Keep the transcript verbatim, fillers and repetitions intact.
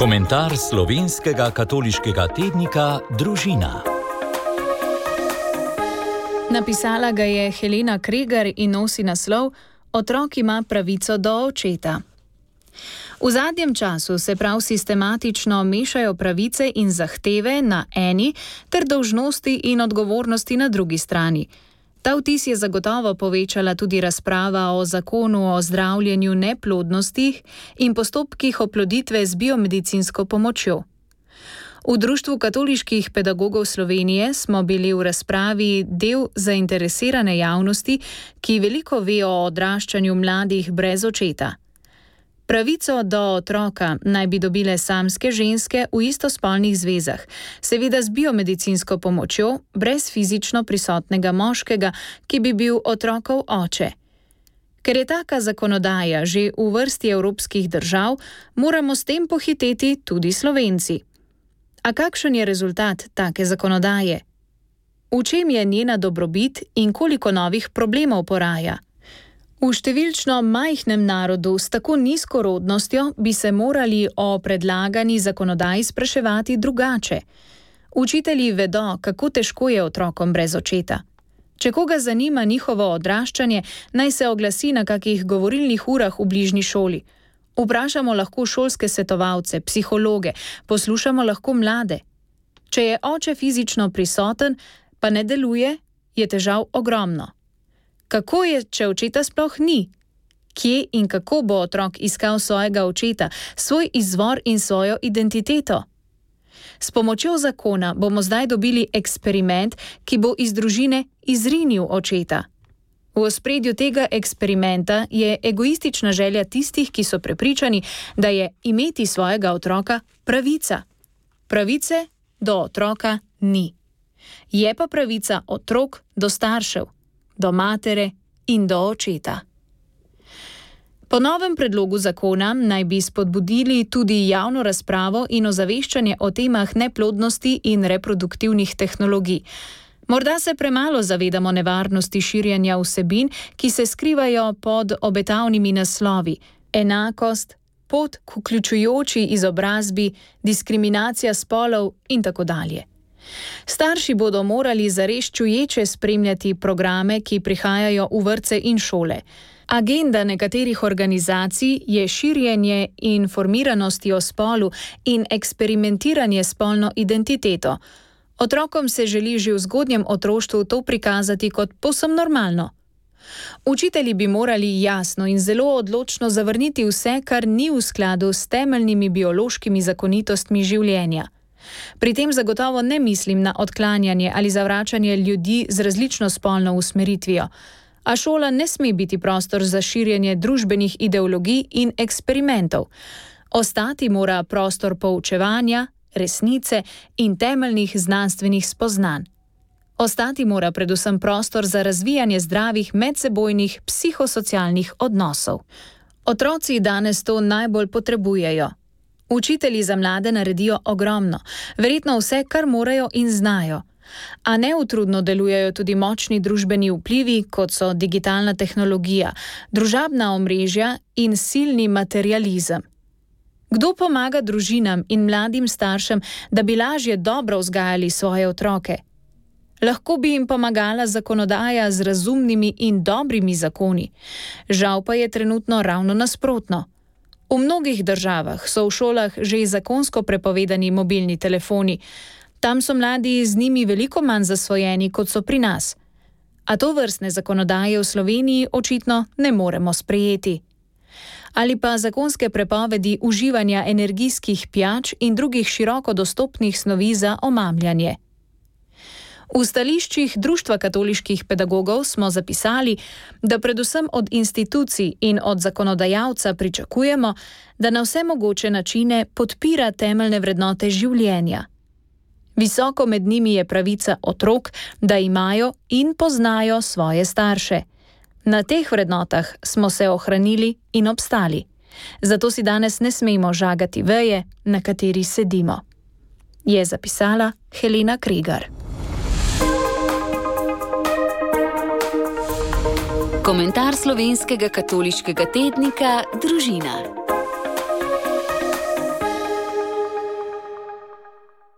Komentar slovenskega katoliškega tednika Družina. Napisala ga je Helena Kregar in nosi naslov Otrok ima pravico do očeta. V zadnjem času se prav sistematično mešajo pravice in zahteve na eni ter dolžnosti in odgovornosti na drugi strani. Ta vtis je zagotovo povečala tudi razprava o zakonu o zdravljenju neplodnosti in postopkih oploditve z biomedicinsko pomočjo. V Društvu katoliških pedagogov Slovenije smo bili v razpravi del zainteresirane javnosti, ki veliko ve o odraščanju mladih brez očeta. Pravico do otroka naj bi dobile samske ženske v istospolnih zvezah, seveda z biomedicinsko pomočjo, brez fizično prisotnega moškega, ki bi bil otrokov oče. Ker je taka zakonodaja že v vrsti evropskih držav, moramo s tem pohiteti tudi Slovenci. A kakšen je rezultat take zakonodaje? V čem je njena dobrobit in koliko novih problemov poraja? V številčno majhnem narodu s tako nizko rodnostjo bi se morali o predlagani zakonodaji spraševati drugače. Učitelji vedo, kako težko je otrokom brez očeta. Če koga zanima njihovo odraščanje, naj se oglasi na kakih govorilnih urah v bližnji šoli. Vprašamo lahko šolske svetovalce, psihologe, poslušamo lahko mlade. Če je oče fizično prisoten, pa ne deluje, je težav ogromno. Kako je, če očeta sploh ni? Kje in kako bo otrok iskal svojega očeta, svoj izvor in svojo identiteto? S pomočjo zakona bomo zdaj dobili eksperiment, ki bo iz družine izrinil očeta. V ospredju tega eksperimenta je egoistična želja tistih, ki so prepričani, da je imeti svojega otroka pravica. Pravice do otroka ni. Je pa pravica otrok do staršev, do matere in do očeta. Po novem predlogu zakona naj bi spodbudili tudi javno razpravo in ozaveščanje o temah neplodnosti in reproduktivnih tehnologij. Morda se premalo zavedamo nevarnosti širjenja vsebin, ki se skrivajo pod obetavnimi naslovi: enakost, pot k vključujoči izobrazbi, diskriminacija spolov in tako dalje. Starši bodo morali zares čuječe spremljati programe, ki prihajajo v vrtce in šole. Agenda nekaterih organizacij je širjenje informiranosti o spolu in eksperimentiranje s spolno identiteto. Otrokom se želi že v zgodnjem otroštvu to prikazati kot povsem normalno. Učitelji bi morali jasno in zelo odločno zavrniti vse, kar ni v skladu s temeljnimi biološkimi zakonitostmi življenja. Pri tem zagotovo ne mislim na odklanjanje ali zavračanje ljudi z različno spolno usmeritvijo, a šola ne sme biti prostor za širjenje družbenih ideologij in eksperimentov. Ostati mora prostor poučevanja, resnice in temeljnih znanstvenih spoznanj. Ostati mora predvsem prostor za razvijanje zdravih medsebojnih psihosocialnih odnosov. Otroci danes to najbolj potrebujejo. Učitelji za mlade naredijo ogromno, verjetno vse, kar morajo in znajo. A neutrudno delujejo tudi močni družbeni vplivi, kot so digitalna tehnologija, družabna omrežja in silni materializem. Kdo pomaga družinam in mladim staršem, da bi lažje dobro vzgajali svoje otroke? Lahko bi jim pomagala zakonodaja z razumnimi in dobrimi zakoni. Žal pa je trenutno ravno nasprotno. V mnogih državah so v šolah že zakonsko prepovedani mobilni telefoni. Tam so mladi z njimi veliko manj zasvojeni, kot so pri nas. A to vrstne zakonodaje v Sloveniji očitno ne moremo sprejeti. Ali pa zakonske prepovedi uživanja energijskih pijač in drugih široko dostopnih snovi za omamljanje. V stališčih Društva katoliških pedagogov smo zapisali, da predvsem od institucij in od zakonodajalca pričakujemo, da na vse mogoče načine podpira temeljne vrednote življenja. Visoko med njimi je pravica otrok, da imajo in poznajo svoje starše. Na teh vrednotah smo se ohranili in obstali. Zato si danes ne smemo žagati veje, na kateri sedimo. Je zapisala Helena Kregar. Komentar slovenskega katoliškega tednika Družina.